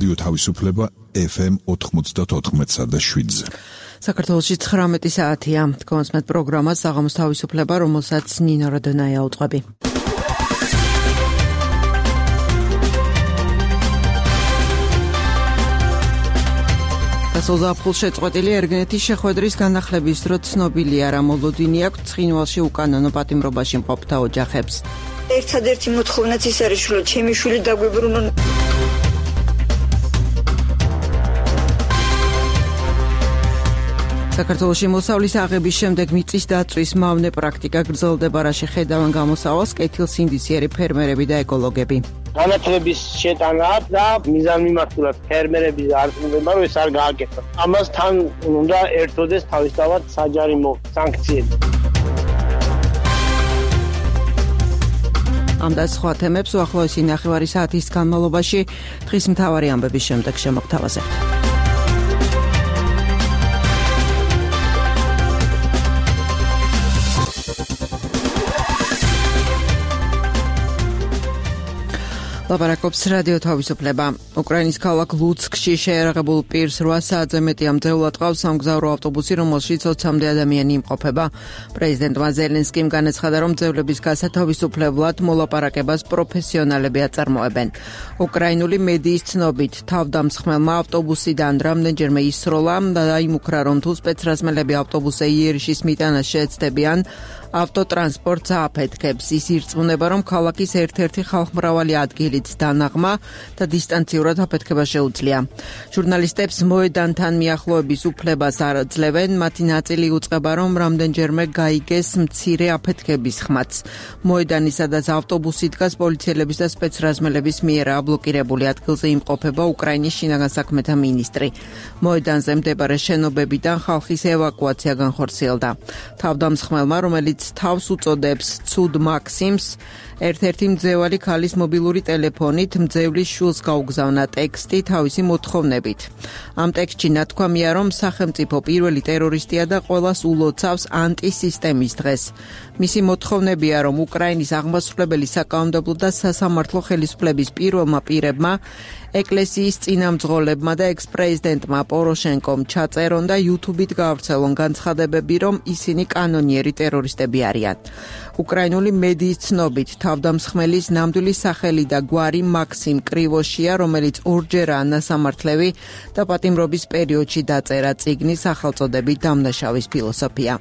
რადიო თავისუფლება FM 94.7-ზე. საქართველოში 19 საათია. კონსმეთ პროგრამა საღამოს თავისუფლება, რომელსაც ნინო როდონაია უწყობი. გასულზაფხულს შეწყვეტილი ერგენეთის შეხვედრის განახლების დრო ცნობილია, რა მოლოდინი აქვს ცხინვალში უკანონო პატიმრობაში მყოფთა ოჯახებს. ერთადერთი მოთხოვნაც ის არის, რომ ჩემი შვილი დაგვიბრუნონ. საქართველოში მოსავლის აღების შემდეგ მიწის დაწვის მავნე პრაქტიკა გრძელდება, რა შეხედავენ გამოსავალს კეთილსინდისიერი ფერმერები და ეკოლოგები. განათლების შეტანა და მიზანმიმართულად ფერმერების არწმუნება, რომ ეს არ გააკეთოს. ამასთან უნდა ერთოდეს თავისთავად საჯარიმო სანქციები. ამ და სხვა თემებს უახლოესი ნახევარი საათის განმავლობაში დღის მთავარი ამბების შემდეგ შემოგთავაზებთ. ლაპარაკობს რადიო თავისუფლება. უკრაინის ქალაქ ლუცკში შეერაღებულ პირს 8 საათზე მეტი ამძევლად ყავს სამგზავრო ავტობუსი, რომელშიც 20-მდე ადამიანი იმყოფება. პრეზიდენტმა ზელენსკიმ განაცხადა, რომ მძევლების გასათავისუფლებლად მოლაპარაკებას პროფესიონალები აწარმოებენ. უკრაინული მედიის ცნობით, თავდამსხმელმა ავტობუსიდან რამდენჯერმე ისროლა და დაიმუქრა, რომ თუ სპეცრაზმელები ავტობუსზე იერიშის მიტანას შეეცდებიან, ავტოტრანსპორტს ააფეთქებს. ის ირწმუნება, რომ ქალაქის ერთ-ერთი ხალხმრავალი ადგილით დანაღმა და დისტანციურად აფეთქება შეუძლია. ჟურნალისტებს მოედანთან მიახლოების უფლებას არ ძლევენ, მათი ნაწილი უწყება, რომ რამდენჯერმე გაიგეს მცირე აფეთქების ხმაც. მოედანი, სადაც ავტობუსი დგას, პოლიციელების და სპეცრაზმელების მიერ აბლოკირებული ადგილზე იმყოფება უკრაინის შინაგან საქმეთა მინისტრი. მოედანზე მდებარე შენობებიდან ხალხის ევაკუაცია განხორციელდა. თავდამსხმელმა, რომელიც თავს უწოდებს ცუდ მაქსიმს, ერთ-ერთი მძევალი ქალის მობილური ტელეფონით მძევლის შვილს გაუგზავნა ტექსტი თავისი მოთხოვნებით. ამ ტექსტში ნათქვამია, რომ სახელმწიფო პირველი ტერორისტია და ყველას ულოცავს ანტისისტემის დღეს. მისი მოთხოვნებია, რომ უკრაინის აღმასრულებელი საკანონმდებლო და სასამართლო ხელისუფლების პირველმა პირებმა, ეკლესიის წინამძღოლებმა და ექს-პრეზიდენტმა პოროშენკომ ჩაწერონ და YouTube-ით გაავრცელონ განცხადებები, რომ ისინი კანონიერი ტერორისტები არიან. უკრაინული მედიის ცნობით, თავდამსხმელის ნამდვილი სახელი და გვარი მაქსიმ კრივოშია, რომელიც ორჯერაა ნასამართლევი და პატიმრობის პერიოდში დაწერა წიგნის სახელწოდებით დამნაშავის ფილოსოფია.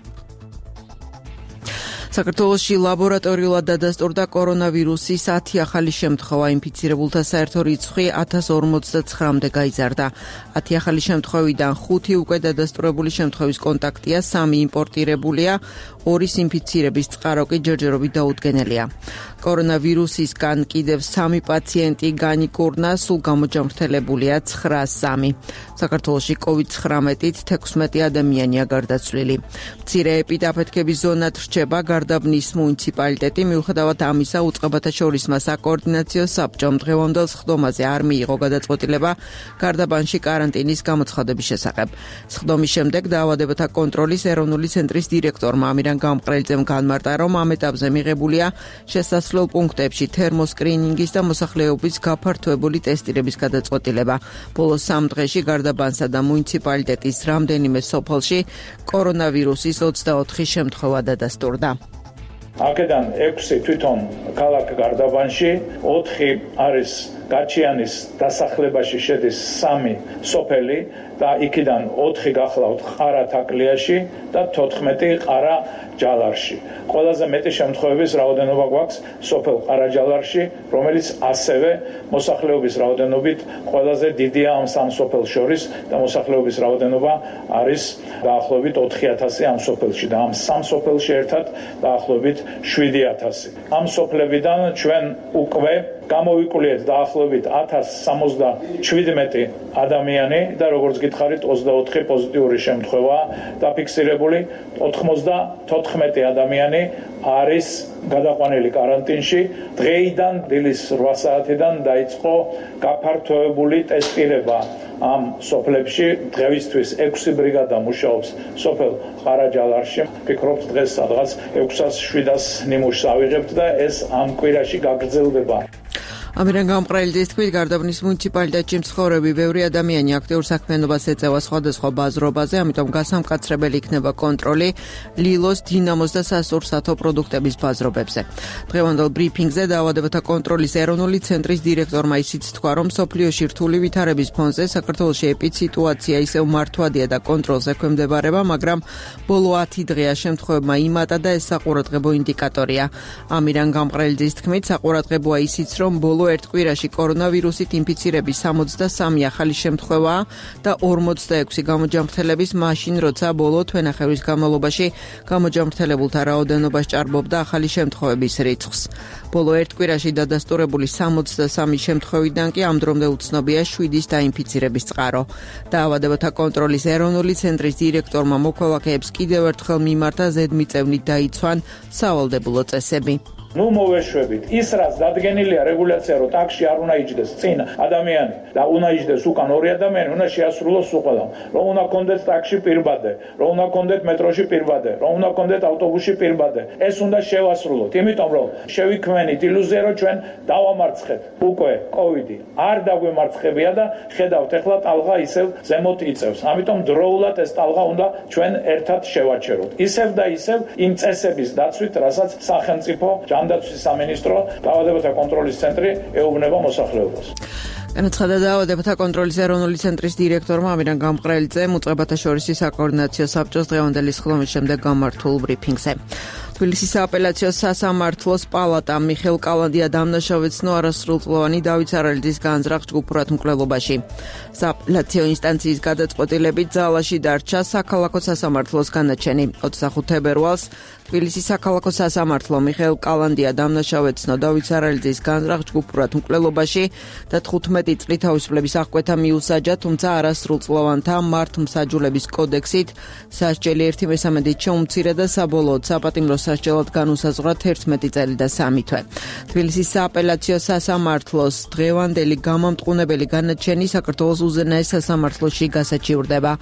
საქართველოში ლაბორატორიულად დადასტურდა კორონავირუსის 10 ახალი შემთხვევა, ინფიცირებულთა საერთო რიცხვი 1059-მდე გაიზარდა. 10 ახალი შემთხვევიდან 5 უკვე დადასტურებული შემთხვევის კონტაქტია, 3 იმპორტირებულია, 2 ინფიცირების წყარო კი ჯერჯერობით დაუდგენელია. კორონავირუსისგან კიდევ 3 პაციენტი განიკურნა, სულ გამოჯამრთელებულია 903. საქართველოში COVID-19-ით 16 ადამიანია გარდაცვლილი. მცირე ეპიდაფეთქების ზონად რჩება გარდაბნის მუნიციპალიტეტი, მიუხედავად ამისა უწყებათა შორის საკოორდინაციო საბჭომ დღევანდელ სხდომაზე არ მიიღო გადაწყვეტილება გარდაბანში კარანტინის გამოცხადების შესახებ. სხდომის შემდეგ დაავადებათა კონტროლის ეროვნული ცენტრის დირექტორმა ამირან გამყრელიძემ განმარტა, რომ ამ ეტაპზე მიღებულია შესასვლელ პუნქტებში თერმოსკრინინგის და მოსახლეობის გაფართოებული ტესტირების გადაწყვეტილება. ბოლო 3 დღეში გარდაბანსა და მუნიციპალიტეტის რამდენიმე სოფელში კორონავირუსის 24 შემთხვევა დადასტურდა. აქედან 6 თვითონ ქალაქ გარდაბანში, 4 არის გაჩიანის დასახლებაში შედის 3 სოფელი და იქიდან 4 გახლავთ ყარა-თაკლიაში და 14 ყარა-ჯალარში. ყველაზე მეტი შემთხვევების რაოდენობა გვაქვს სოფელ ყარა-ჯალარში, რომელიც ასევე მოსახლეობის რაოდენობით ყველაზე დიდია ამ 3 სოფელს შორის და მოსახლეობის რაოდენობა არის დაახლოებით 4000 ამ სოფელში და ამ 3 სოფელში ერთად დაახლოებით 7000. ამ სოფლებიდან ჩვენ უკვე გამოვიკვლიეთ დაახლოებით 1077 ადამიანი და როგორც გითხარით 24 პოზიტიური შემთხვევა დაფიქსირებული, 94 ადამიანი არის გადაყვანილი კარანტინში. დღეიდან დილის 8 საათიდან დაიწყო გაფართოებული ტესტირება ამ სოფლებში. დღევისთვის 6 ბრიგადა მუშაობს სოფელ ყარა-ჯალარში. ვფიქრობთ დღეს სადღაც 600-700 ნიმუშს ავიღებთ და ეს ამ კვირაში გაგრძელდება. ამირან გამყრელიძის თქმით, გარდაბნის მუნიციპალიტეტში მცხოვრები ბევრი ადამიანი აქტიურ საქმიანობას ეწევა სხვადასხვა ბაზრობაზე, ამიტომ გასამკაცრებელი იქნება კონტროლი ლილოს, დინამოს და სასურსათო პროდუქტების ბაზრობებზე. დღევანდელ ბრიფინგზე დაავადებათა კონტროლის ეროვნული ცენტრის დირექტორმა ისიც თქვა, რომ მსოფლიოში რთული ვითარების ფონზე საქართველოში ეპიდსიტუაცია ისევ მართვადია და კონტროლს ექვემდებარება, მაგრამ ბოლო 10 დღეა შემთხვევებმა იმატა და ეს საყურადღებო ინდიკატორია. ამირან გამყრელიძის თქმით, საყურადღებოა ისიც, რომ ბოლო ერთ კვირაში კორონავირუსით ინფიცირების 63 ახალი შემთხვევაა და 46 გამოჯამრთელების მაშინ, როცა ბოლო თვენახევრის განმავლობაში გამოჯამრთელებულთა რაოდენობა სჭარბობდა ახალი შემთხვევების რიცხვს. ბოლო ერთ კვირაში დადასტურებული 63 შემთხვევიდან კი ამ დრომდე უცნობია 7-ის დაინფიცირების წყარო. დაავადებათა კონტროლის ეროვნული ცენტრის დირექტორმა მოქალაქეებს კიდევ ერთხელ მიმართა ზედმიწევნით დაიცვან სავალდებულო წესები. ნუ მოვეშვებით ის რაც დადგენილია რეგულაცია რომ ტაქსში არ უნდა იჯდეს წინ ადამიანი და უნდა იჯდეს უკან ორი ადამიანი უნდა შეასრულოს უყველამ რომ უნდა კონდეთ ტაქსში პირბადე რომ უნდა კონდეთ მეტროში პირბადე რომ უნდა კონდეთ ავტობუსში პირბადე ეს უნდა შევასრულოთ იმიტომ რომ შევიქმნით ილუზია რომ ჩვენ დავამარცხეთ უკვე კოვიდი არ დაგვემარცხებია და ხედავთ ახლა ტალღა ისევ ზემოთ იწევს ამიტომ დროულად ეს ტალღა უნდა ჩვენ ერთად შევაჩეროთ ისევ და ისევ იმ წესების დაცვით რასაც სახელმწიფო ანდაცვის სამინისტრო დაავადებათა კონტროლის ცენტრი ეუბნება მოსახლეობას. განაცხადა დაავადებათა კონტროლის ეროვნული ცენტრის დირექტორმა ამირან გამყრელიძემ უწყებათა შორის საკოორდინაციო საბჭოს დღევანდელი სხდომის შემდეგ გამართულ ბრიფინგზე. თბილისის სააპელაციო სასამართლოს პალატამ მიხეილ კალანდია დამნაშავეცნო არასრულწლოვანი დავით სარალიძის განზრახ ჯგუფურად მკვლელობაში. სააპელაციო ინსტანციის გადაწყვეტილებით ძალაში დარჩა საქალაქო სასამართლოს განაჩენი. 25 თებერვალს თბილისის საქალაქო სასამართლო მიხეილ კალანდია დამნაშავეცნო დავით სარალიძის განზრახ ჯგუფურად მკვლელობაში და 15 წლით თავისუფლების აღკვეთა მიუსაჯა, თუმცა არასრულწლოვანთა მართლმსაჯულების კოდექსით სასჯელი 1/3 შეუმცირა და საბოლოოდ საპატიმრო სასჯელად განუსაზღვრა 11 წელი და 3 თვე. თბილისის სააპელაციო სასამართლოს დღევანდელი გამამტყუნებელი განაჩენი საქართველოს უზენაეს სასამართლოში გასაჩივრდება.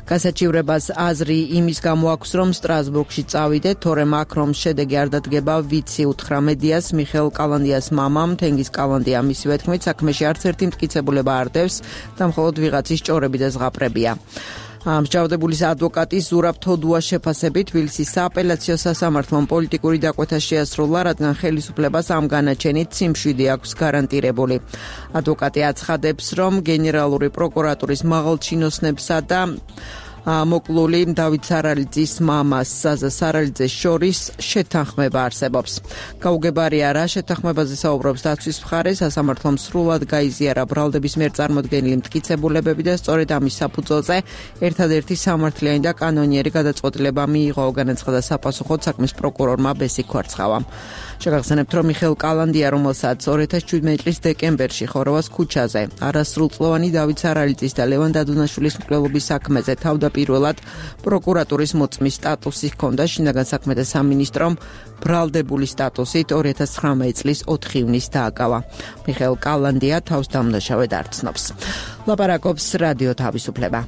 გასაჩივრებას აზრი იმის გამო აქვს, რომ სტრასბურგში წავიდეთ, თორემ აქ რომ შედეგი არ დადგება, ვიცი უთხრა მედიას მიხეილ კალანდიას მამამ, თენგიზ კალანდია მისივე თქმით, საქმეში არც ერთი მტკიცებულება არ დევს და მხოლოდ ვიღაცის ჭორები და ზღაპრებია. მსჯავრდებულის ადვოკატი ზურაბ თოდუას შეფასებით თბილისის სააპელაციო სასამართლომ პოლიტიკური დაკვეთა შეასრულა, რადგან ხელისუფლებას ამ განაჩენით სიმშვიდე აქვს გარანტირებული. ადვოკატი აცხადებს, რომ გენერალური პროკურატურის მაღალჩინოსნებსა და მოკლული დავით სარალიძის მამას საზა სარალიძეს შორის შეთანხმება არსებობს. გაუგებარია რა შეთანხმებაზე საუბრობს დაცვის მხარე, სასამართლომ სრულად გაიზიარა ბრალდების მიერ წარმოდგენილი მტკიცებულებები და სწორედ ამის საფუძველზე ერთადერთი სამართლიანი და კანონიერი გადაწყვეტილება მიიღო, განაცხადა საპასუხოდ საქმის პროკურორმა ბესი ქვარცხავამ. შეგახსენებთ, რომ მიხეილ კალანდია, რომელსაც 2017 წლის დეკემბერში ხოროვას ქუჩაზე არასრულწლოვანი დავით სარალიძის და ლევან დადუნაშვილის მკვლელობის საქმეზე თავდაპირველად პროკურატურის მოწმის სტატუსი ჰქონდა, შინაგან საქმეთა სამინისტრომ ბრალდებული სტატუსით 2019 წლის 4 ივნისს დააკავა. მიხეილ კალანდია თავს დამნაშავედ არ ცნობს. ლაპარაკობს რადიო თავისუფლება.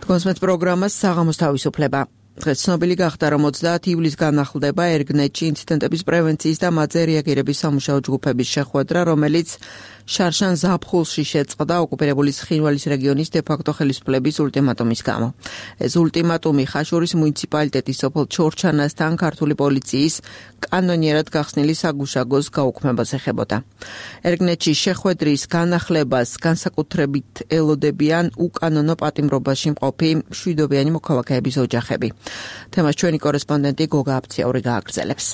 კონსმეთ პროგრამას საღამოს თავისუფლება. დღეს ცნობილი გახდა, რომ 30 ივლისს განახლდება ერგნეტში ინციდენტების პრევენციის და მათზე რეაგირების სამუშაო ჯგუფების შეხვედრა, რომელიც შარშან ზაფხულში შეწყდა ოკუპირებული ცხინვალის რეგიონის დე-ფაქტო ხელისუფლების ულტიმატუმის გამო. ეს ულტიმატუმი ხაშურის მუნიციპალიტეტის სოფელ ჩორჩანასთან ქართული პოლიციის კანონიერად გახსნილი საგუშაგოს გაუქმებას ეხებოდა. ერგნეტში შეხვედრის განახლებას განსაკუთრებით ელოდებიან უკანონო პატიმრობაში მყოფი მშვიდობიანი მოქალაქეების ოჯახები. თემას ჩვენი კორესპონდენტი გოგა აფციური გააგრძელებს.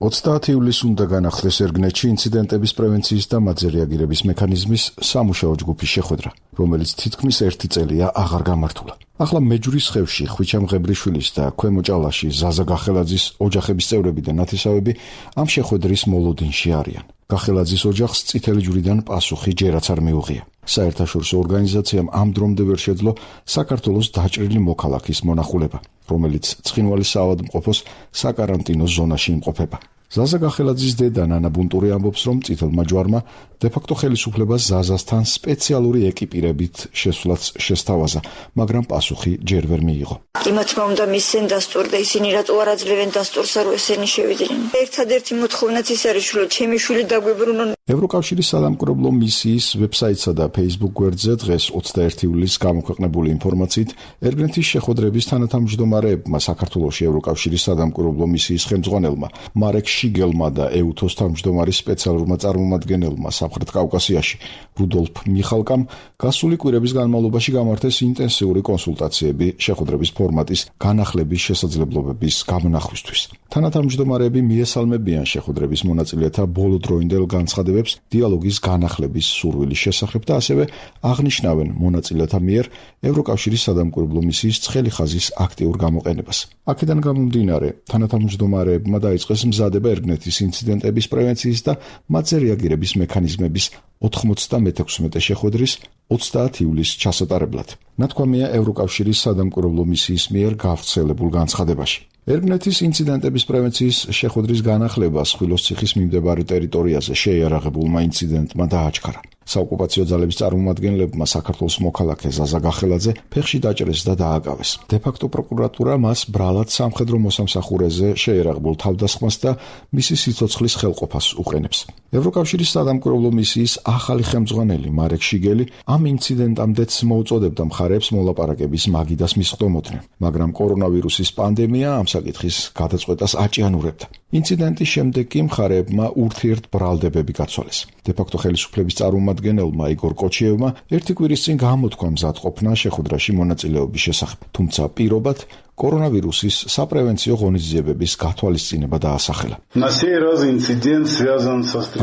30 ივლისს უნდა განახლდეს ერგნეტში ინციდენტების პრევენციის და მათზე რეაგირების მექანიზმის სამუშაო ჯგუფის შეხვედრა, რომელიც თითქმის 1 წელია აღარ გამართულა. ახლა მეჯურის ხევში ხვიჩამ ღებრიშვილის და ქვემო ჭალაში ზაზა გახელაძის ოჯახების წევრები და ნათესავები ამ შეხვედრის მოლოდინში არიან. გახელაძის ოჯახს წითელი ჯვრიდან პასუხი ჯერაც არ მიუღია. საერთაშორისო ორგანიზაციამ ამ დრომდე ვერ შეძლო საქართველოს დაჭრილი მოქალაქის მონახულება, რომელიც ცხინვალის საავადმყოფოს საკარანტინო ზონაში იმყოფება. ზაზა გახელაძის დედა ნანა ბუნტური ამბობს, რომ წითელმა ჯვარმა დე-ფაქტო ხელისუფლებას ზაზასთან სპეციალური ეკიპირებით შესვლაც შესთავაზა, მაგრამ პასუხი ჯერ ვერ მიიღო. კი მათმა უნდა მისცენ დასტური და ისინი რატო არ აძლევენ დასტურს, რომ ესენი შევიდნენ. ერთადერთი მოთხოვნაც ის არის, რომ ჩემი შვილი დაგვიბრუნონ. ევროკავშირის სადამკვირვებლო მისიის ვებსაიტსა და Facebook გვერდზე დღეს 21 ივლისს გამოქვეყნებული ინფორმაციით ერგნეთის შეხვედრების თანათავმჯდომარეებმა საქართველოში ევროკავშირის სადამკვირვებლო მისიის ხელმძღვანელმა მარეკ შიგელმა და EUTOS თავმჯდომარის სპეციალურმა წარმომადგენელმა სამხრეთ კავკასიაში რუდოლფ მიხალკამ გასული კვირების განმავლობაში გამართეს ინტენსიური კონსულტაციები შეხვედრების ფორმატის განახლების შესაძლებლობების გამონახვისთვის. თანათავმჯდომარეები მიესალმებიან შეხვედრების მონაწილეთა ბოლოდროინდელ განცხადებებს დიალოგის განახლების სურვილის შესახებ და ასევე აღნიშნავენ მონაწილეთა მიერ ევროკავშირის სადამკვირვებლო მისიის ცხელი ხაზის აქტიურ გამოყენებას. აქედან გამომდინარე, თანათავმჯდომარეებმა დაიწყეს მზადება ერგნეთის ინციდენტების პრევენციის და მათზე რეაგირების მექანიზმების 96 შეხვედრის 30 ივლისს ჩასატარებლად. ნათქვამია ევროკავშირის სადამკვირვებლო მისიის მიერ გავრცელებულ განცხადებაში. ერგნეთის ინციდენტების პრევენციის შეხვედრის განახლება სხვილოს ციხის მიმდებარე ტერიტორიაზე შეიარაღებულმა ინციდენტმა დააჩქარა. საოკუპაციო ძალების წარმომადგენლებმა საქართველოს მოქალაქე ზაზა გახელაძე ფეხში დაჭრეს და დააკავეს. დე-ფაქტო პროკურატურა მას ბრალად სამხედრო მოსამსახურეზე შეიარაღებულ თავდასხმას და მისი სიცოცხლის ხელყოფას უყენებს. ევროკავშირის სადამკვირვებლო მისიის ახალი ხელმძღვანელი მარეკ შიგელი ამ ინციდენტამდეც მოუწოდებდა მხარეებს მოლაპარაკების მაგიდას მისხდომოდნენ, მაგრამ კორონავირუსის პანდემია ამ საკითხის გადაწყვეტას აჭიანურებდა. ინციდენტის შემდეგ კი მხარეებმა ურთიერთ ბრალდებები გაცვალეს. დე-ფაქტო ხელისუფლების წარმომადგენელმა იგორ კოჩიევმა ერთი კვირის წინ გამოთქვა მზადყოფნა შეხვედრაში მონაწილეობის შესახებ, თუმცა პირობად კორონავირუსის საპრევენციო ღონისძიებების გათვალისწინება დაასახელა.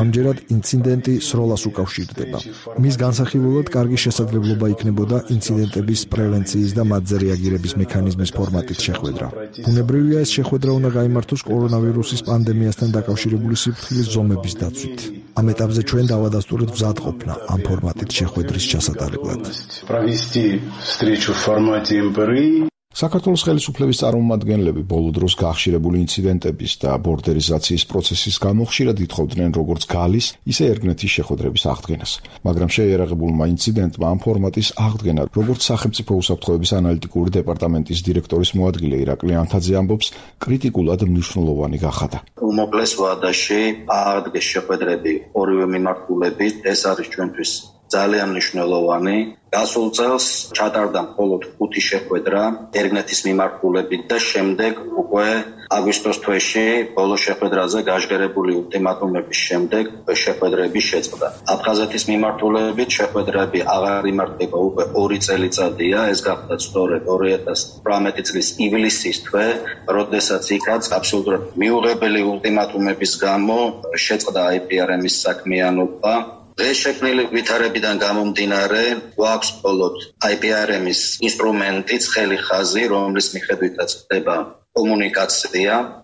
ამჯერად ინციდენტი სროლას უკავშირდება. მის განსახილველად კარგი შესაძლებლობა იქნებოდა ინციდენტების პრევენციის და მათზე რეაგირების მექანიზმის ფორმატით შეხვედრა. ბუნებრივია ეს შეხვედრა უნდა გაიმართოს კორონავირუსის პანდემიასთან დაკავშირებული სიფრთხილის ზომების დაცვით. ამ ეტაპზე ჩვენ დავადასტურეთ მზადყოფნა ამ ფორმატით შეხვედრის ჩასატარებლად. საქართველოს ხელისუფლების წარმომადგენლები ბოლო დროს გახშირებული ინციდენტების და ბორდერიზაციის პროცესის გამო ხშირად ითხოვდნენ როგორც გალის, ისე ერგნეთის შეხვედრების აღდგენას. მაგრამ შეიარაღებულმა ინციდენტმა ამ ფორმატის აღდგენა, როგორც სახელმწიფო უსაფრთხოების ანალიტიკური დეპარტამენტის დირექტორის მოადგილე ირაკლი ანთაძე ამბობს, კრიტიკულად მნიშვნელოვანი გახადა. უმოკლეს ვადაში აღდგეს შეხვედრები ორივე მიმართულებით, ეს არის ჩვენთვის ძალიან მნიშვნელოვანი. გასულ წელს ჩატარდა მხოლოდ 5 შეხვედრა ერგნეთის მიმართულებით და შემდეგ უკვე აგვისტოს თვეში ბოლო შეხვედრაზე გაჟღერებული ულტიმატუმების შემდეგ შეხვედრები შეწყდა. აფხაზეთის მიმართულებით შეხვედრები აღარ იმართება უკვე 2 წელიწადია, ეს გახდა სწორედ 2018 წლის ივლისის თვე, როდესაც იქაც აბსოლუტურად მიუღებელი ულტიმატუმების გამო შეწყდა IPRM-ის საქმიანობა. დღეს შექმნილი ვითარებიდან გამომდინარე, გვაქვს მხოლოდ IPRM-ის ინსტრუმენტი, ცხელი ხაზი, რომლის მიხედვითაც ხდება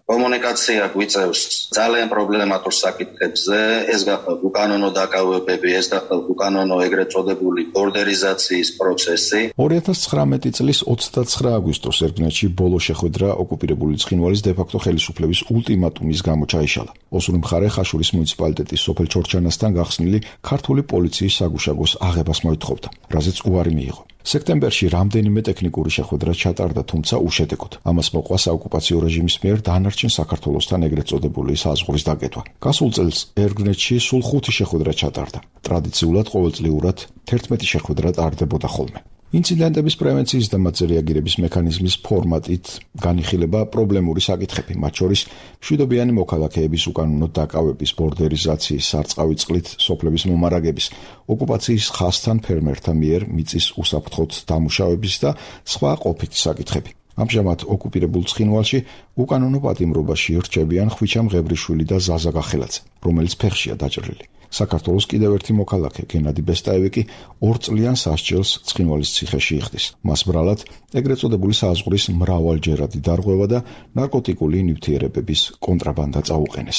კომუნიკაცია გვიწევს ძალიან პრობლემატურ საკითხებზე, ეს გახლავთ უკანონო დაკავებები, ეს გახლავთ უკანონო ეგრეთ წოდებული ბორდერიზაციის პროცესი. 2019 წლის 29 აგვისტოს ერგნეთში ბოლო შეხვედრა ოკუპირებული ცხინვალის დე-ფაქტო ხელისუფლების ულტიმატუმის გამო ჩაიშალა. ოსური მხარე ხაშურის მუნიციპალიტეტის სოფელ ჩორჩანასთან გახსნილი ქართული პოლიციის საგუშაგოს აღებას მოითხოვდა, რაზეც უარი მიიღო. სექტემბერში რამდენიმე ტექნიკური შეხვედრა ჩატარდა, თუმცა უშედეგოდ. ამას მოყვა საოკუპაციო რეჟიმის მიერ დანარჩენ საქართველოსთან ეგრეთ წოდებული საზღვრის დაკეტვა. გასულ წელს ერგნეთში სულ 5 შეხვედრა ჩატარდა. ტრადიციულად ყოველწლიურად 11 შეხვედრა ტარდებოდა ხოლმე. ინციდენტების პრევენციის და მათზე რეაგირების მექანიზმის ფორმატით განიხილება პრობლემური საკითხები, მათ შორის მშვიდობიანი მოქალაქეების უკანონო დაკავების, ბორდერიზაციის, სარწყავი წყლით სოფლების მომარაგების, ოკუპაციის ხაზთან ფერმერთა მიერ მიწის უსაფრთხოდ დამუშავების და სხვა ყოფითი საკითხები. ამჟამად ოკუპირებულ ცხინვალში უკანონო პატიმრობაში რჩებიან ხვიჩა მღებრიშვილი და ზაზა გახელაძე, რომელიც ფეხშია დაჭრილი. საქართველოს კიდევ ერთი მოქალაქე გენადი ბესტაევი კი 2 წლიან სასჯელს ცხინვალის ციხეში იხდის. მას ბრალად ეგრეთ წოდებული საზღვრის მრავალჯერადი დარღვევა და ნარკოტიკული ნივთიერებების კონტრაბანდა წაუყენეს.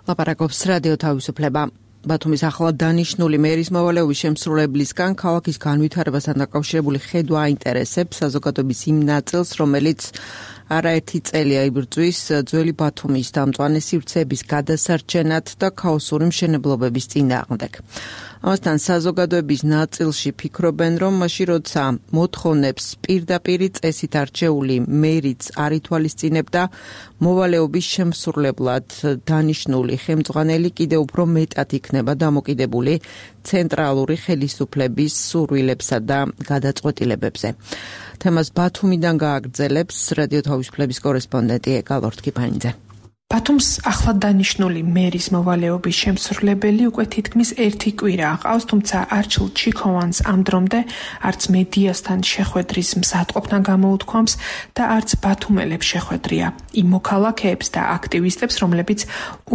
ლაპარაკობს რადიო თავისუფლება. ბათუმის ახლად დანიშნული მერის მოვალეობის შემსრულებლისგან ქალაქის განვითარებასთან დაკავშირებული ხედვა აინტერესებს საზოგადოების იმ ნაწილს, რომელიც არაერთი წელია იბრძვის ძველი ბათუმის დამწვანე სივრცეების გადასარჩენად და ქაოსური მშენებლობების წინააღმდეგ. ამასთან საზოგადოების ნაწილში ფიქრობენ, რომ მაშინ როცა მოთხოვნებს პირდაპირ წესით არჩეული მერიც არ ითვალისწინებდა, მოვალეობის შემსრულებლად დანიშნული ხელმძღვანელი კიდევ უფრო მეტად იქნება დამოკიდებული ცენტრალური ხელისუფლების სურვილებსა და გადაწყვეტილებებზე. თემას ბათუმიდან გააგრძელებს რადიო თავისუფლების კორესპონდენტი ეკალორთ კიფანიძე. ბათუმს ახლად დანიშნული მერის მოვალეობის შემსრულებელი უკვე თითქმის ერთი კვირა aqავს, თუმცა არჩილ ჩიქოვანს ამ დრომდე არც მედიასთან შეხვედრის მზადყოფნა გამოუთქვამს და არც ბათუმელებს შეხვედრია. იმ მოქალაქეებს და აქტივისტებს, რომლებიც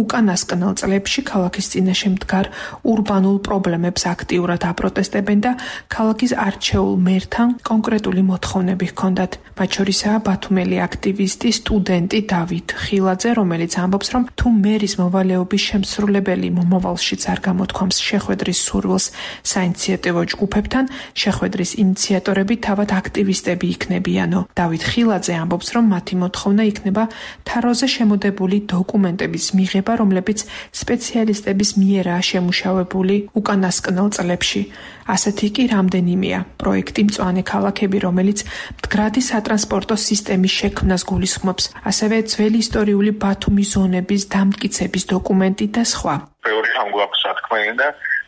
უკანასკნელ წლებში ქალაქის წინაშე მდგარ ურბანულ პრობლემებს აქტიურად აპროტესტებენ და ქალაქის არჩეულ მერთან კონკრეტული მოთხოვნები ჰქონდათ. მათ შორისაა ბათუმელი აქტივისტი, სტუდენტი დავით ხილაძე, რომელიც ამბობს, რომ თუ მერის მოვალეობის შემსრულებელი მომავალშიც არ გამოთქვამს შეხვედრის სურვილს საინიციატივო ჯგუფებთან, შეხვედრის ინიციატორები თავად აქტივისტები იქნებიანო. დავით ხილაძე ამბობს, რომ მათი მოთხოვნა იქნება თაროზე შემოდებული დოკუმენტების მიღება, რომლებიც სპეციალისტების მიერაა შემუშავებული უკანასკნელ წლებში. ასეთი კი რამდენიმეა პროექტი მწვანე ქალაქები, რომელიც მდგრადი სატრანსპორტო სისტემის შექმნას გულისხმობს, ასევე ძველი ისტორიული ბათუმის ზონების დამტკიცების დოკუმენტი და სხვა. ბევრი რამ გვაქვს სათქმელი და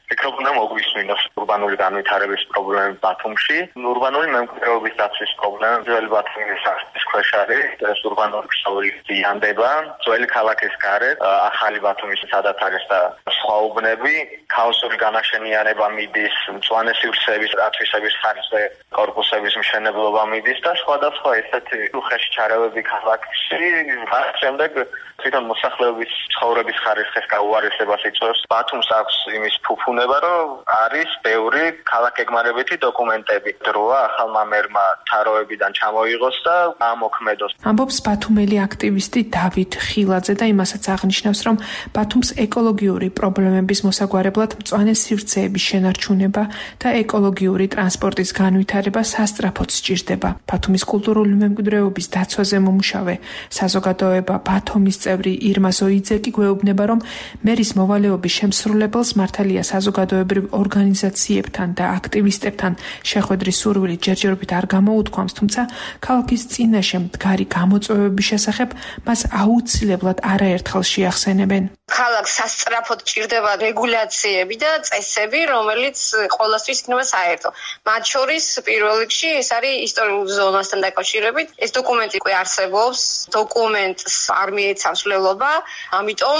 ფიქრობ უნდა მოგვისმინოს ურბანული განვითარების პრობლემები ბათუმში, ურბანული მემკვიდრეობის დაცვის პრობლემები, ძველი ბათუმის არხის ქვეშ არის, ეს ურბანული ქსოვილი ზიანდება, ძველი ქალაქის გარეთ, ახალი ბათუმის სადაც არის და სხვა უბნები, ქაოსური განაშენიანება მიდის, მწვანე სივრცეების ათვისების ხარჯზე კორპუსების მშენებლობა მიდის და სხვადასხვა ესეთი უხეში ჩარევები ქალაქში, მას შემდეგ თვითონ მოსახლეობის ცხოვრების ხარისხის გაუარესებას იწვევს. ბათუმს აქვს იმის ფუფუნება, რომ არის ბევრი ქალაქგეგმარებითი დოკუმენტები. დროა ახალმა მერმა თაროებიდან ჩამოიღოს და ამოქმედოს. ამბობს ბათუმელი აქტივისტი დავით ხილაძე და იმასაც აღნიშნავს, რომ ბათუმს ეკოლოგიური პრობლემების მოსაგვარებლად მწვანე სივრცეების შენარჩუნება და ეკოლოგიური ტრანსპორტის განვითარება სასწრაფოდ სჭირდება. ბათუმის კულტურული მემკვიდრეობის დაცვაზე მომუშავე საზოგადოება ბათუმის წევრი ირმა ზოიძე კი გვეუბნება, რომ მერის მოვალეობის შემსრულებელს მართალია საზოგადოებრივ ორგანიზაციებთან და აქტივისტებთან შეხვედრის სურვილი ჯერჯერობით არ გამოუთქვამს, თუმცა ქალაქის წინაშე მდგარი გამოწვევების შესახებ მას აუცილებლად არაერთხელ შეახსენებენ. ქალაქს სასწრაფოდ ჭირდება რეგულაციები და წესები, რომელიც ყოველთვის იქნება საერთო. მათ შორის პირველ რიგში ეს არის ისტორიულ ზონასთან დაკავშირებით. ეს დოკუმენტი უკვე არსებობს, დოკუმენტს არ მიეცავს მვლელობა, ამიტომ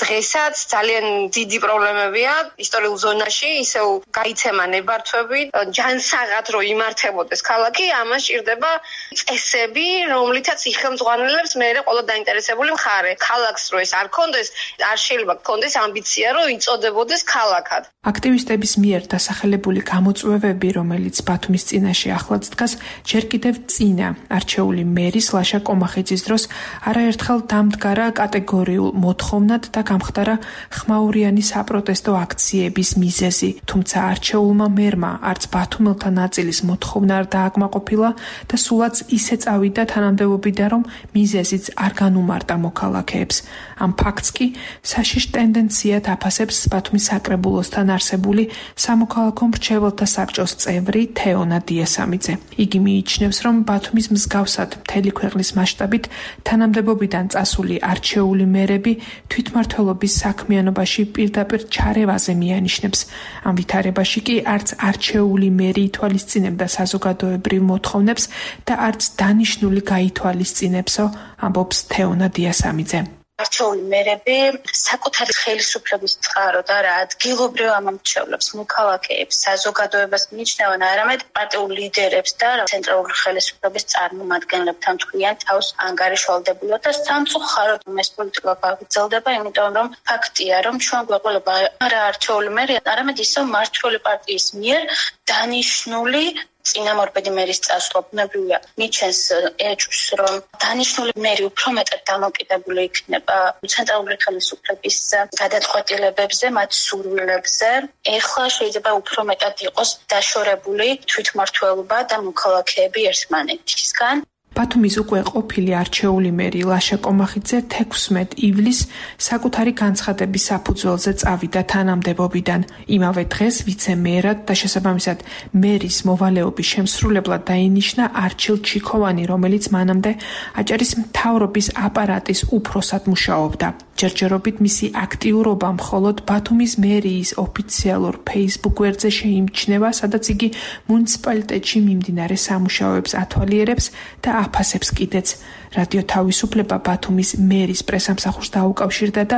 დღესაც ძალიან დიდი პრობლემებია ისტორიულ ზონაში, ისევ გაიცემა ნებართვები, ჯანსაღად რო იმართებოდეს ქალაქი, ამას ჭირდება წესები, რომლითაც იხელმძღვანელებს მე ყველა დაინტერესებული მხარე. ქალაქს რო ეს არ ქონდეს, არ შეიძლება გქონდეს ამბიცია, რომ იწოდებოდეს ქალაქად. აქტივისტების მიერ დასახელებული გამოწვევები, რომელიც ბათუმის წინაშე ახლად დგას, ჯერ კიდევ წინა არჩეული მერის ლაშა კომახიძის დროს არაერთხელ დამდგარა კატეგორიულ მოთხოვნად და გამხდარა ხმაურიანი საპროტესტო აქციების მიზეზი. თუმცა არჩეულმა მერმა არც ბათუმელთა ნაწილის მოთხოვნა არ დააკმაყოფილა და სულაც ისე წავიდა თანამდებობიდან, რომ მიზეზიც არ განუმარტა მოქალაქეებს. ამ ფაქტს კი საშიშ ტენდენციად აფასებს ბათუმის საკრებულოსთან არსებული სამოქალაქო მრჩეველთა საბჭოს წევრი თეონა დიასამიძე. იგი მიიჩნევს, რომ ბათუმის მსგავსად მთელი ქვეყნის მასშტაბით თანამდებობიდან წასული არჩეული მერები თვითმმართველობის საქმიანობაში პირდაპირ ჩარევაზე მიანიშნებს. ამ ვითარებაში კი არც არჩეული მერი ითვალისწინებდა საზოგადოებრივ მოთხოვნებს და არც დანიშნული გაითვალისწინებსო, ამბობს თეონა დიასამიძე. არჩეული მერები საკუთარი ხელისუფლების წყარო და რა ადგილობრივ ამომრჩევლებს, მოქალაქეებს, საზოგადოებას მიიჩნევენ არამედ პარტიულ ლიდერებს და ცენტრალური ხელისუფლების წარმომადგენლებთან თქვიან თავს ანგარიშვალდებულად და სამწუხაროდ ეს პოლიტიკა გაგრძელდება, იმიტომ რომ ფაქტია, რომ ჩვენ გვეყოლება არა არჩეული მერი, არამედ ისევ მმართველი პარტიის მიერ დანიშნული წინამორბედი მერის წასვლა ბუნებრივია მიჩენს ეჭვს, რომ დანიშნული მერი უფრო მეტად დამოკიდებული იქნება ცენტრალური ხელისუფლების გადაწყვეტილებებზე, მათ სურვილებზე. ეხლა შეიძლება უფრო მეტად იყოს დაშორებული თვითმმართველობა და მოქალაქეები ერთმანეთისგან. ბათუმის უკვე ყოფილი არჩეული მერი ლაშა კომახიძე 16 ივლისს საკუთარი განცხადების საფუძველზე წავიდა თანამდებობიდან. იმავე დღეს ვიცე-მერად და შესაბამისად მერის მოვალეობის შემსრულებლად დაინიშნა არჩილ ჩიქოვანი, რომელიც მანამდე აჭარის მთავრობის აპარატის უფროსად მუშაობდა. ჯერჯერობით მისი აქტიურობა მხოლოდ ბათუმის მერიის ოფიციალურ Facebook გვერდზე შეიმჩნევა, სადაც იგი მუნიციპალიტეტში მიმდინარე სამუშაოებს ათვალიერებს და აფასებს კიდეც. რადიო თავისუფლება ბათუმის მერის პრესამსახურს დაუკავშირდა და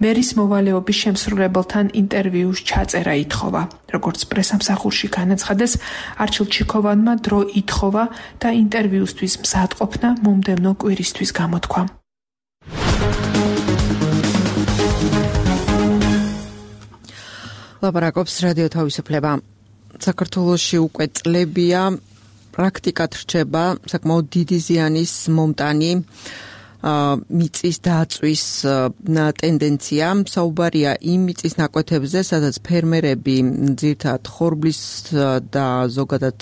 მერის მოვალეობის შემსრულებელთან ინტერვიუს ჩაწერა ითხოვა. როგორც პრესამსახურში განაცხადეს, არჩილ ჩიქოვანმა დრო ითხოვა და ინტერვიუსთვის მზადყოფნა მომდევნო კვირისთვის გამოთქვა. ლაპარაკობს რადიო თავისუფლება. საქართველოში უკვე წლებია პრაქტიკად რჩება საკმაოდ დიდი ზიანის მომტანი მიწის დაწვის ტენდენცია. საუბარია იმ მიწის ნაკვეთებზე, სადაც ფერმერები ძირითადად ხორბლის და ზოგადად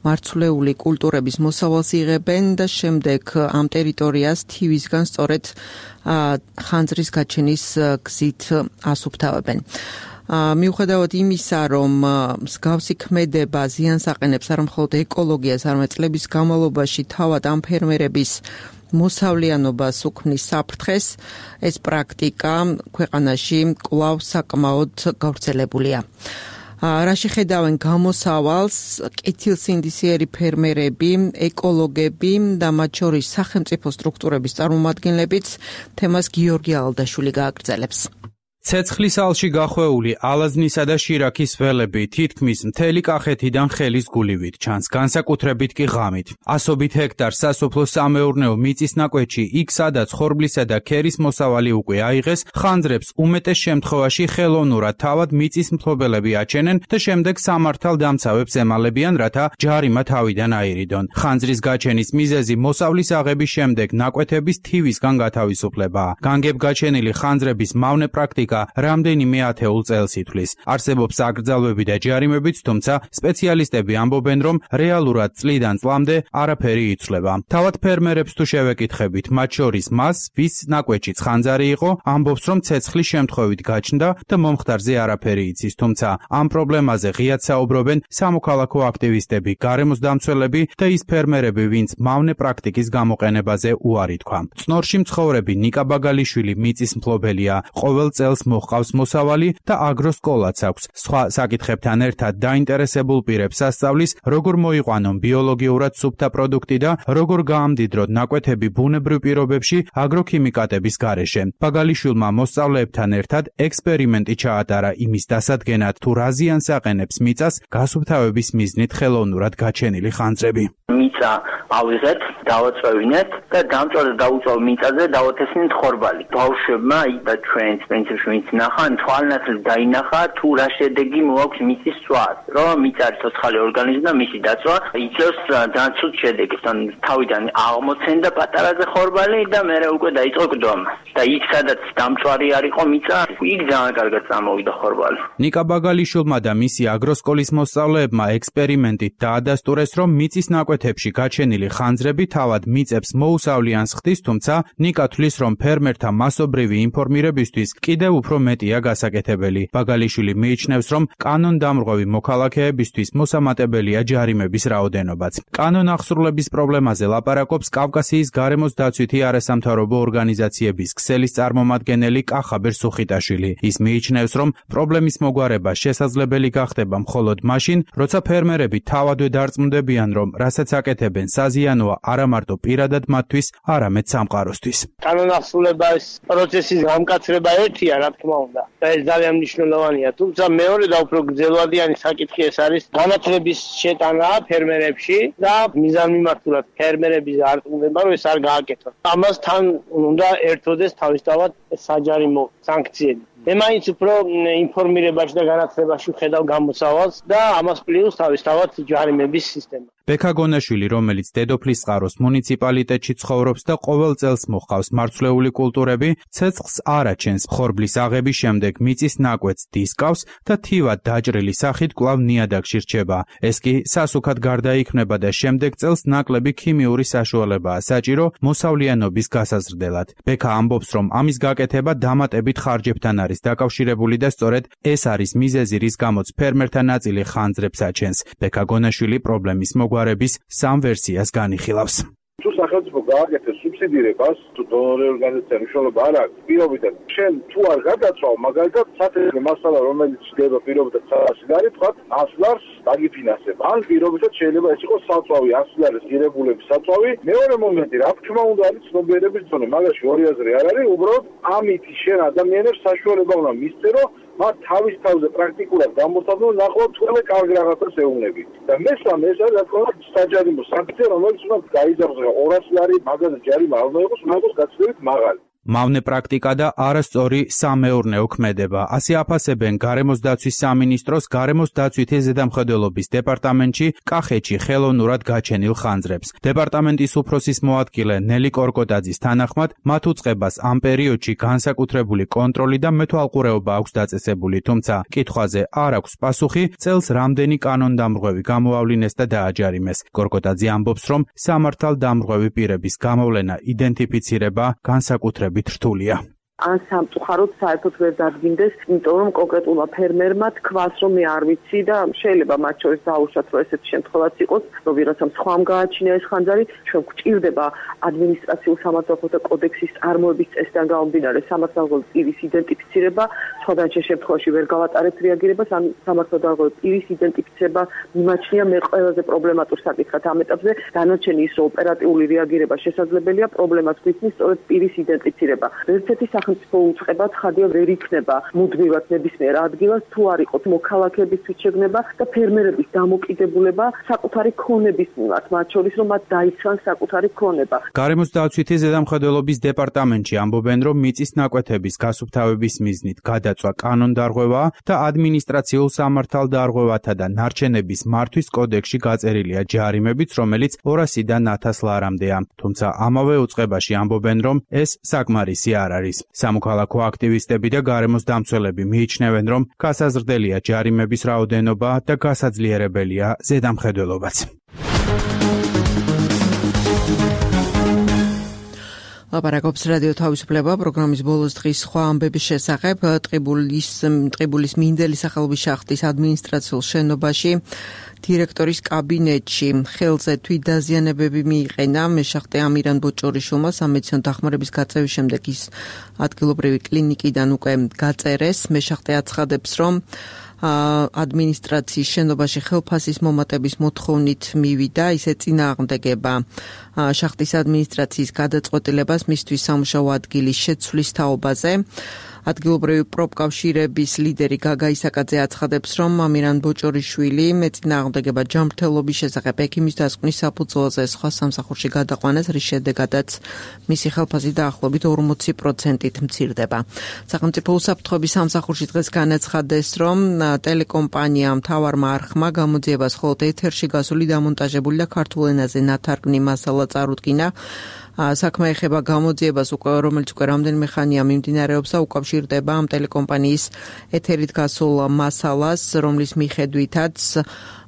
მარცვლეული კულტურების მოსავალს იღებენ და შემდეგ ამ ტერიტორიას თივისგან სწორედ ხანძრის გაჩენის გზით ასუფთავებენ. მიუხედავად იმისა, რომ მსგავსი ქმედება ზიანს აყენებს არა მხოლოდ ეკოლოგიას, არამედ წლების განმავლობაში თავად ამ ფერმერების მოსავლიანობას უქმნის საფრთხეს, ეს პრაქტიკა ქვეყანაში კვლავ საკმაოდ გავრცელებულია. რაში ხედავენ გამოსავალს კეთილსინდისიერი ფერმერები, ეკოლოგები და მათ შორის სახელმწიფო სტრუქტურების წარმომადგენლებიც, თემას გიორგი ალდაშვილი გააგრძელებს. ცეცხლის ალში გახვეული ალაზნისა და შირაქის ველები თითქმის მთელი კახეთიდან ხელის გულივით ჩანს, განსაკუთრებით კი ღამით. ასობით ჰექტარ სასოფლო-სამეურნეო მიწის ნაკვეთში, იქ სადაც ხორბლისა და ქერის მოსავალი უკვე აიღეს, ხანძრებს უმეტეს შემთხვევაში ხელოვნურად თავად მიწის მფლობელები აჩენენ და შემდეგ სამართალ დამცავებს ემალებიან, რათა ჯარიმა თავიდან აირიდონ. ხანძრის გაჩენის მიზეზი მოსავლის აღების შემდეგ ნაკვეთების თივისგან გათავისუფლებაა. განგებ-გაჩენილი ხანძრების მავნე პრაქტიკა რამდენიმე ათეულ წელს ითვლის. არსებობს აკრძალვები და ჯარიმებიც, თუმცა სპეციალისტები ამბობენ, რომ რეალურად წლიდან წლამდე არაფერი იცვლება. თავად ფერმერებს თუ შევეკითხებით, მათ შორის მას, ვის ნაკვეთშიც ხანძარი იყო, ამბობს, რომ ცეცხლის შემთხვევით გაჩნდა და მომხდარზე არაფერი იცის, თუმცა ამ პრობლემაზე ღიად საუბრობენ სამოქალაქო აქტივისტები, გარემოს დამცველები და ის ფერმერები, ვინც მავნე პრაქტიკის გამოყენებაზე უარი თქვა. წნორში მცხოვრები ნიკა ბაგალიშვილი მიწის მფლობელია, ყოველ წელს მოჰყავს მოსავალი და აგროსკოლაც აქვს. სხვა საკითხებთან ერთად დაინტერესებულ პირებს ასწავლის, როგორ მოიყვანონ ბიოლოგიურად სუფთა პროდუქტი და როგორ გაამდიდროთ ნაკვეთები ბუნებრივ პირობებში აგროქიმიკატების გარეშე. ბაგალიშვილმა მოსწავლეებთან ერთად ექსპერიმენტი ჩაატარა იმის დასადგენად, თუ რა ზიანს აყენებს მიწას გასუფთავების მიზნით ხელოვნურად გაჩენილი ხანძრები. მიწა ავიღეთ, დავაწვევინეთ და დაუწევ მიწაზე დავათესნით ხორბალი. ბავშვებმა და ჩვენს პრინციპში ვინც ნახან თვალნათლად დაინახა თუ რა შედეგი მოაქვს მიწის წვას, რომ მიწა არის ცოცხალი ორგანიზმი და მისი დაწვა იწევს დაცულ შედეგს. თავიდან აღმოცენდა პატარაზე ხორბალი და მერე უკვე დაიწყო გდომა. და იქ სადაც დამწვარი არისო მიწა, იქ ძალიან კარგად წამოვიდა ხორბალი. ნიკა ბაგალიშვილმა და მისი აგროსკოლის მოსწავლეებმა ექსპერიმენტით დაადასტურეს, რომ მიწის ნაკვეთებში გაჩენილი ხანძრები თავად მიწებს მოუსავლიანს ხდის, თუმცა ნიკა თვლის, რომ ფერმერთა მასობრივი ინფორმირებისთვის კიდევ უფრო მეტია გასაკეთებელი. ბაგალიშვილი მიიჩნევს, რომ კანონდამრღვევი მოქალაქეებისთვის მოსამატებელია ჯარიმების რაოდენობაც. კანონახსრულების პრობლემაზე ლაპარაკობს კავკასიის გარემოს დაცვითი არასამთავრობო ორგანიზაციების ქსელის წარმომადგენელი კახაბერ სუხიტაშვილი. ის მიიჩნევს, რომ პრობლემის მოგვარება შესაძლებელი გახდება მხოლოდ მაშინ, როცა ფერმერები თავადვე დარწმუნდებიან, რომ რასაც აკეთებენ საზიანოა არა მარტო პირადად მათთვის, არამედ სამყაროსთვის. კანონახსრულების პროცესის გამკაცრება ერთია, რა თქმა უნდა, და ეს ძალიან მნიშვნელოვანია. თუმცა მეორე და უფრო გრძელვადიანი საკითხი ეს არის განათლების შეტანა ფერმერებში და მიზანმიმართულად ფერმერების არწმუნება, რომ ეს არ გააკეთონ. ამას თან უნდა ერთოდეს თავისთავად საჯარიმო სანქციები. მე მაინც უფრო ინფორმირებაში და განათლებაში ვხედავ გამოსავალს და ამას პლუს თავისთავად ჯარიმების სისტემა. ბექა გონაშვილი, რომელიც დედოფლისწყაროს მუნიციპალიტეტში ცხოვრობს და ყოველ წელს მოჰყავს მარცვლეული კულტურები, ცეცხლს არ აჩენს. ხორბლის აღების შემდეგ მიწის ნაკვეთს დისკავს და თივად დაჭრილი სახით კვლავ ნიადაგში რჩება. ეს კი სასუქად გარდაიქმნება და შემდეგ წელს ნაკლები ქიმიური საშუალებაა საჭირო მოსავლიანობის გასაზრდელად. ბექა ამბობს, რომ ამის გაკეთება დამატებით ხარჯებთან არის დაკავშირებული და სწორედ ეს არის მიზეზი, რის გამოც ფერმერთა ნაწილი ხანძრებს აჩენს. ბექა გონაშვილი პრობლემის მოგვარების სამ ვერსიას განიხილავს. თუ სახელმწიფო გააკეთეს სუბსიდირებას, თუ დონორი ორგანიზაცია მნიშვნელობა არ აქვს, პირობითად შენ თუ არ გადაცვალ, მაგალითად სათეთრო მასალა, რომელიც ხდება პირობითად 100 ლარი, თქვა 100 ლარს დაგიფინანსებ. ან პირობითად შეიძლება ეს იყოს საწვავი, 100 ლარის ღირებულების საწვავი. მეორე მომენტი, რა თქმა უნდა, არის ცნობიერების დონე. მაგაში ორი აზრი არ არის, უბრალოდ ამით შენ ადამიანებს საშუალება უნდა მისწერო, მათ თავის თავზე პრაქტიკულად გამოსაძლო ნახოთ თქვენ კარგ რაღაცას ეუბნები. და მესამე ეს არის რა თქმა უნდა საჯარიმო სანქცია, რომელიც უნდა გაიზარდოს 200 ლარი მაგაზე ჯარიმა არ უნდა იყოს, უნდა იყოს გაცილებით მაღალი. მავნე პრაქტიკა და არასწორი სამეურნეო ქმედება. ასე აფასებენ გარემოს დაცვის სამინისტროს გარემოს დაცვითი ზედამხედველობის დეპარტამენტში კახეთში ხელოვნურად გაჩენილ ხანძრებს. დეპარტამენტის უფროსის მოადგილე ნელი კორკოტაძის თანახმად, მათ უწყებას ამ პერიოდში განსაკუთრებული კონტროლი და მეთვალყურეობა აქვს დაწესებული, თუმცა კითხვაზე არ აქვს პასუხი, წელს რამდენი კანონდამრღვევი გამოავლინეს და დააჯარიმეს. კორკოტაძე ამბობს, რომ სამართალდამრღვევი პირების გამოვლენა, იდენტიფიცირება განსაკუთრებით რთულია. ან სამწუხაროდ საერთოდ ვერ დადგინდეს, იმიტომ რომ კონკრეტულმა ფერმერმა თქვას, რომ მე არ ვიცი და შეიძლება მათ შორის დაუშვათ, რომ ესეთი შემთხვევაც იყოს, რომ ვიღაცამ სხვამ გააჩინა ეს ხანძარი, ჩვენ გვჭირდება ადმინისტრაციულ სამართალთა კოდექსის წარმოების წესიდან გამომდინარე სამართალდამრღვევი პირის იდენტიფიცირება, სხვადასხვა შემთხვევაში ვერ გავატარებთ რეაგირებას, ან სამართალდამრღვევი პირის იდენტიფიცირება მიმაჩნია მე ყველაზე პრობლემატურ საკითხად ამ ეტაპზე, დანარჩენი ის რომ ოპერატიული რეაგირება შესაძლებელია, პრობლემას გვიწნის სწორედ პირის იდენტიფიცირება. ერთ-ერთი სახელმწიფო უწყება ცხადია ვერ იქნება მუდმივად ნებისმიერ ადგილას, თუ არ იყოს მოქალაქეებისთვის შეგნება და ფერმერების დამოკიდებულება საკუთარი ქონების მიმართ, მათ შორის რომ მათ დაიცვან საკუთარი ქონება. გარემოს დაცვითი ზედამხედველობის დეპარტამენტში ამბობენ, რომ მიწის ნაკვეთების გასუფთავების მიზნით გადაწვა კანონდარღვევაა და ადმინისტრაციულ სამართალდარღვევათა და ნარჩენების მართვის კოდექსში გაწერილია ჯარიმებიც, რომელიც 200-დან 1000 ლარამდეა. თუმცა ამავე უწყებაში ამბობენ, რომ ეს საკმარისი არ არის. სამოქალაქო აქტივისტები და გარემოს დამცველები მიიჩნევენ, რომ გასაზრდელია ჯარიმების რაოდენობა და გასაძლიერებელია ზედამხედველობაც. ლაპარაკობს რადიო თავისუფლება პროგრამის ბოლოს დღის სხვა ამბების შესახებ. ტყიბულის მინდელი სახელობის შახტის ადმინისტრაციულ შენობაში დირექტორის კაბინეტში ხელზე თვითდაზიანებები მიიყენა მეშახტე ამირან ბოჭორიშვილმა სამედიცინო დახმარების გაწევის შემდეგ ის ადგილობრივი კლინიკიდან უკვე გაწერეს. მეშახტე აცხადებს, რომ ადმინისტრაციის შენობაში ხელფასის მომატების მოთხოვნით მივიდა, ისე წინააღმდეგება შახტის ადმინისტრაციის გადაწყვეტილებას მისთვის სამუშაო ადგილის შეცვლის თაობაზე. ადგილობრივი პროფკავშირების ლიდერი გაგა ისაკაძე აცხადებს, რომ ამირან ბოჭორიშვილი მეწინააღმდეგება ჯანმრთელობის შესახებ ექიმის დასკვნის საფუძველზე სხვა სამსახურში გადაყვანეს, რის შედეგადაც მისი ხელფასი დაახლოებით 40%-ით მცირდება. სახელმწიფო უსაფრთხოების სამსახურში დღეს განაცხადეს, რომ ტელეკომპანია მთავარმა არხმა გამოძიებას მხოლოდ ეთერში გასული დამონტაჟებული და ქართულ ენაზე ნათარგმნი მასალა წარუდგინა. საქმე ეხება გამოძიებას, რომელიც უკვე რამდენიმე ხანია მიმდინარეობს და უკავშირდება ამ ტელეკომპანიის ეთერით გასულ მასალას, რომლის მიხედვითაც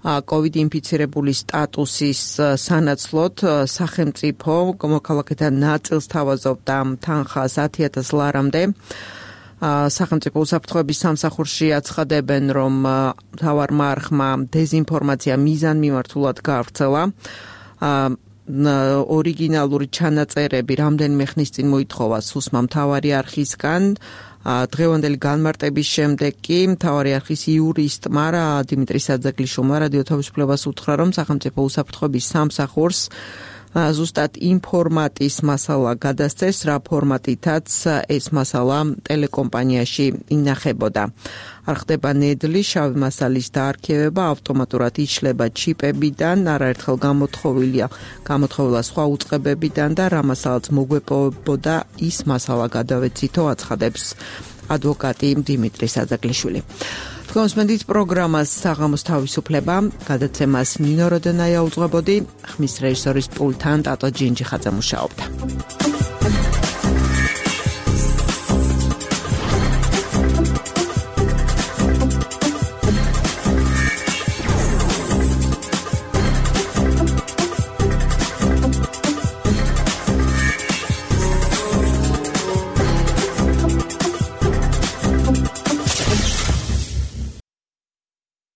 COVID ინფიცირებული სტატუსის სანაცვლოდ სახელმწიფო მოქალაქეთა ნაწილს თავაზობდა თანხას 10,000 ლარამდე. სახელმწიფო უსაფრთხოების სამსახურში აცხადებენ, რომ მთავარმა არხმა დეზინფორმაცია მიზანმიმართულად გაავრცელა. ორიგინალური ჩანაწერები რამდენიმე ხნის წინ მოითხოვა სუსმა მთავარი არხისგან. დღევანდელი განმარტების შემდეგ კი მთავარი არხის იურისტმა დიმიტრი საძაგლიშვილმა რადიო თავისუფლებას უთხრა, რომ სახელმწიფო უსაფრთხოების სამსახურს ზუსტად იმ ფორმატის მასალა გადასცეს, რა ფორმატითაც ეს მასალა ტელეკომპანიაში ინახებოდა. არ ხდება ნედლი შავი მასალის დაარქივება, ავტომატურად იშლება ჩიპებიდან, არაერთხელ გამოთხოვილია სხვა უწყებებიდან და რა მასალაც მოგვეპოვებოდა, ის მასალა გადავეცითო, აცხადებს ადვოკატი დიმიტრი საძაგლიშვილი. თქვენს პროგრამას საღამოს თავისუფლება, გადაცემას ნინო როდენაია უძღვებოდი, ხმის რეჟისორის პულტთან ტატო ჯინჯი ხაძე მუშაობდა.